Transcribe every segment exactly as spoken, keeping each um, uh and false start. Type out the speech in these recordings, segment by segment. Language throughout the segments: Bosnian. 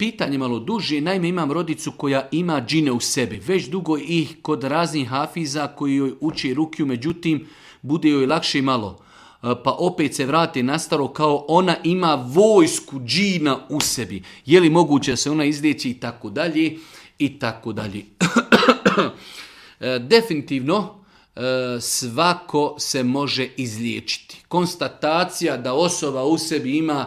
Pitanje malo duže, naime imam rodicu koja ima džine u sebi. Već dugo ih kod raznih hafiza koji joj uči rukiju, međutim bude joj lakše malo. Pa opet se vrati na staro kao ona ima vojsku džina u sebi. Je li moguće da se ona izliječi i tako dalje i tako dalje. Definitivno svako se može izliječiti. Konstatacija da osoba u sebi ima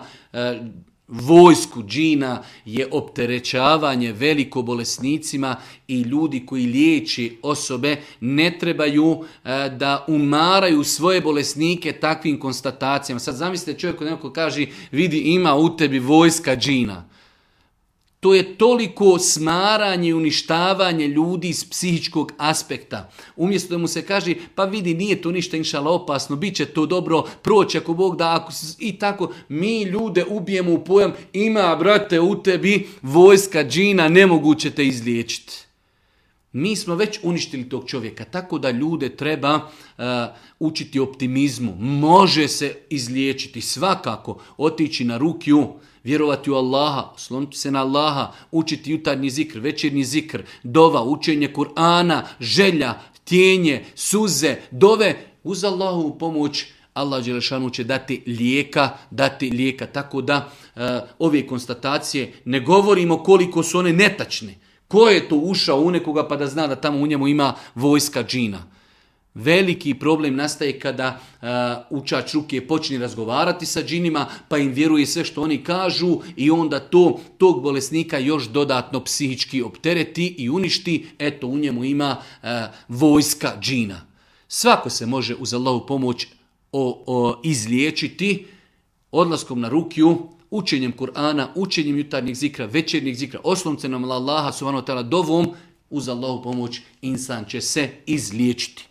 vojsku džina je opterećavanje veliko bolesnicima i ljudi koji liječi osobe ne trebaju e, da umaraju svoje bolesnike takvim konstatacijama. Sad zamislite čovjek koji neko kaže vidi ima u tebi vojska džina. To je toliko smaranje i uništavanje ljudi iz psihičkog aspekta. Umjesto da mu se kaže, pa vidi, nije to ništa inšala opasno, bit će to dobro, proći ako Bog da, ako, i tako. Mi ljude ubijemo u pojam, ima, brate, u tebi vojska džina, nemoguće te izliječiti. Mi smo već uništili tog čovjeka, tako da ljude treba uh, učiti optimizmu. Može se izliječiti svakako, otići na rukiju, vjerovati u Allaha, osloniti se na Allaha, učiti jutarnji zikr, večernji zikr, dova, učenje Kur'ana, želja, tjenje, suze, dove. Uz Allahovu pomoć Allah dželešanu će dati lijeka, dati lijeka. Tako da uh, ove konstatacije ne govorimo koliko su one netačne. Ko je to ušao u nekoga pa da zna da tamo u njemu ima vojska džina? Veliki problem nastaje kada uh, učač ruke počne razgovarati sa džinima, pa im vjeruje sve što oni kažu i onda to tog bolesnika još dodatno psihički optereti i uništi. Eto, u njemu ima uh, vojska džina. Svako se može uz Allahovu pomoć o, o, izliječiti odlaskom na rukiju, učenjem Kur'ana, učenjem jutarnjeg zikra, večernjeg zikra, osloncem na Allaha subhanahu wa ta'ala dovom, uz Allahovu pomoć insan će se izliječiti.